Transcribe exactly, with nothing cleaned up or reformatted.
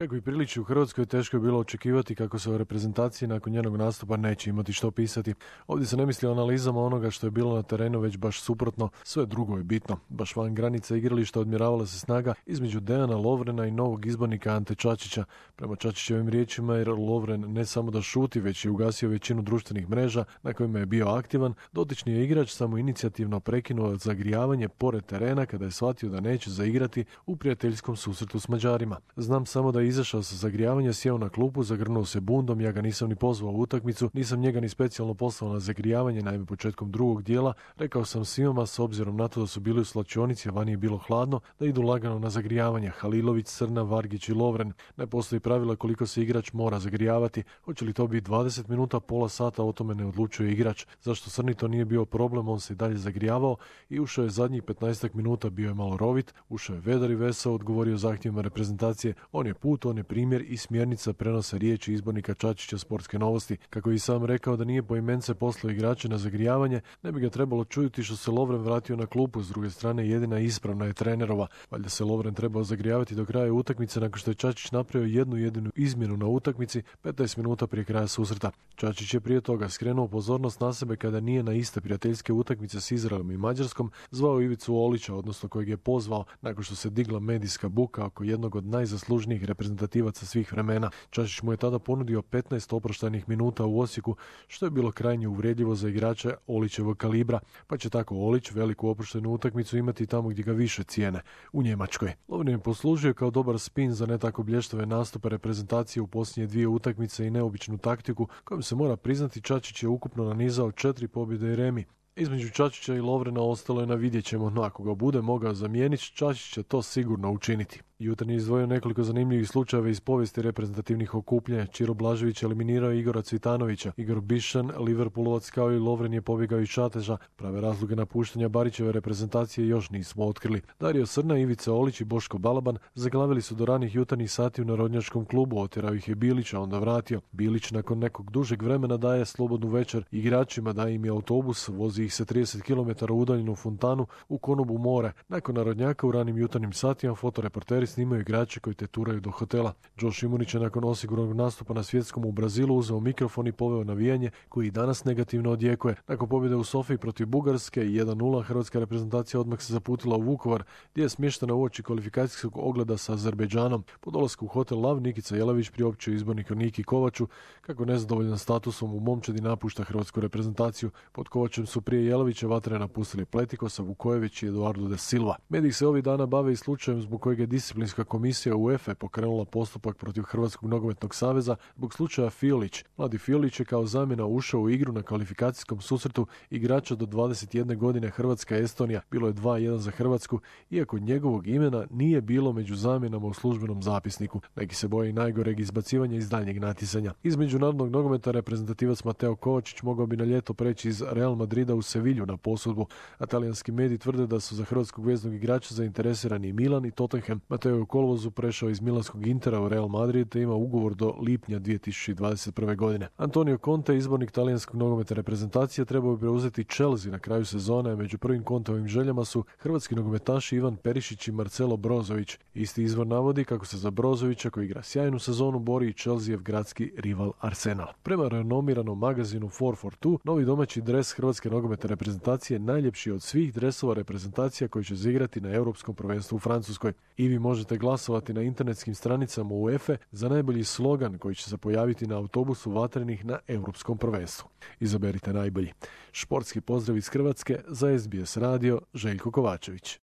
Kako i priliči u Hrvatskoj, teško je bilo očekivati kako se o reprezentaciji nakon njenog nastupa neće imati što pisati. Ovdje se ne misli o analizama onoga što je bilo na terenu, već baš suprotno, sve drugo je bitno. Baš van granica igrališta odmjeravala se snaga između Dejana Lovrena i novog izbornika Ante Čačića. Prema Čačićevim riječima, jer Lovren ne samo da šuti, već je ugasio većinu društvenih mreža na kojima je bio aktivan, dotični je igrač samo inicijativno prekinuo zagrijavanje pored terena kada je shvatio da neće zaigrati u prijateljskom susretu s Mađarima. Znam samo da je izašao sa zagrijavanja, sjeo na klupu, zagrnuo se bundom, ja ga nisam ni pozvao u utakmicu, nisam njega ni specijalno poslao na zagrijavanje, naime početkom drugog dijela, rekao sam svima s obzirom na to da su bili u slačionici, a vani je bilo hladno, da idu lagano na zagrijavanje. Halilović, Crna, Vargić i Lovren. Ne postoji pravila koliko se igrač mora zagrijavati, hoće li to biti dvadeset minuta, pola sata, o tome ne odlučuje igrač. Zašto Crni to nije bio problem, on se i dalje zagrijavao i ušao je zadnjih petnaest minuta, bio je malo rovit, ušao je vedar i vesao, odgovorio zahtjevima reprezentacije, on je put, on je primjer i smjernica prenosa riječi izbornika Čačića Sportske novosti. Kako je i sam rekao da nije poimence poslao igrače na zagrijavanje, ne bi ga trebalo čuti što se Lovren vratio na klupu, s druge strane jedina ispravna je trenerova. Valjda se Lovren trebao zagrijavati do kraja utakmice nakon što je Čačić napravio jednu jedinu izmjenu na utakmici petnaest minuta prije kraja susreta. Čačić je prije toga skrenuo pozornost na sebe kada nije na iste prijateljske utakmice s Izraelom i Mađarskom zvao Ivicu Olića, odnosno kojeg je pozvao nakon što se digla medijska buka oko jednog od najzaslužnijih reprezentativaca svih vremena. Čačić mu je tada ponudio petnaest oproštajnih minuta u Osijeku, što je bilo krajnje uvredljivo za igrača Olićevog kalibra, pa će tako Olić veliku oproštajnu utakmicu imati tamo gdje ga više cijene, u Njemačkoj. Lovren je poslužio kao dobar spin za ne tako blještave nastupe reprezentacije u posljednje dvije utakmice i neobičnu taktiku kojom se mora priznati Čačić je ukupno nanizao četiri pobjede i remi. Između Čačića i Lovrena ostalo je na vidjet ćemo, no ako ga bude mogao zamijeniti, Čačić će to sigurno učiniti. Jutarnji je izdvojio nekoliko zanimljivih slučajeva iz povijesti reprezentativnih okupljanja. Čiro Blažević eliminirao Igora Cvitanovića. Igor Bišan, Liverpoolovac kao i Lovren je pobjegao iz Čateža. Prave razloge napuštanja Barićeve reprezentacije još nismo otkrili. Dario Srna, Ivica Olić i Boško Balaban zaglavili su do ranih jutarnjih sati u Narodnjačkom klubu. Otjerao ih je Bilić, a onda vratio. Bilić nakon nekog dužeg vremena daje slobodnu večer igračima, daje im je autobus, vozi ih se trideset kilometara udaljenu fontanu u Konobu more. Nakon Narodnjaka u ranim jutarnjim satima fotoreporteri snimaju igrače koji teturaju do hotela. Joe Šimunić je nakon osiguranog nastupa na svjetskom u Brazilu uzeo mikrofon i poveo navijanje koji i danas negativno odjekuje. Nakon pobjede u Sofiji protiv Bugarske jedan nula hrvatska reprezentacija odmah se zaputila u Vukovar, gdje je smještena uoči kvalifikacijskog ogleda sa Azerbejdžanom. Po dolasku u hotel Lav Nikica Jelavić priopćio izborniku Niki Kovaču kako nezadovoljan statusom u momčadi napušta hrvatsku reprezentaciju. Pod Kovačem su prije Jelavića vatre napustili Pletikosa, Vukojević i Eduardo de Silva. Mediji se ovih dana bave i slučajem zbog kojeg je disciplinska komisija UEFA pokrenula postupak protiv Hrvatskog nogometnog saveza zbog slučaja Fiolić. Mladi Fiolić je kao zamjena ušao u igru na kvalifikacijskom susretu igrača do dvadeset jedne godine Hrvatska-Estonija. Bilo je dva jedan za Hrvatsku, iako njegovog imena nije bilo među zamjenama u službenom zapisniku. Neki se boje i najgoreg izbacivanja iz daljnjeg natjecanja. Iz međunarodnog nogometa reprezentativac Mateo Kovačić mogao bi na ljeto preći iz Real Madrida u Sevilju na posudbu, a talijanski mediji tvrde da su za hrvatskog veznog igrača zainteresirani i Milan i Tottenham. Mateo je u kolovozu prešao iz milanskog Intera u Real Madrid te ima ugovor do lipnja dvije tisuće dvadeset prve. godine. Antonio Conte, izbornik talijanskog nogometa reprezentacije, trebao bi preuzeti Chelsea na kraju sezone, a među prvim Conteovim željama su hrvatski nogometaši Ivan Perišić i Marcelo Brozović. Isti izvor navodi kako se za Brozovića, koji igra sjajnu sezonu, bori i Chelseajev gradski rival Arsenal. Prema renomiranom magazinu četiri četiri dva, novi domaći dres hrvatske nogometne reprezentacije najljepši od svih dresova reprezentacija koji će igrati na Europskom prvenstvu u Francuskoj. I vi možete glasovati na internetskim stranicama UEFA za najbolji slogan koji će se pojaviti na autobusu vatrenih na Europskom prvenstvu. Izaberite najbolji. Športski pozdrav iz Hrvatske za S B S radio, Željko Kovačević.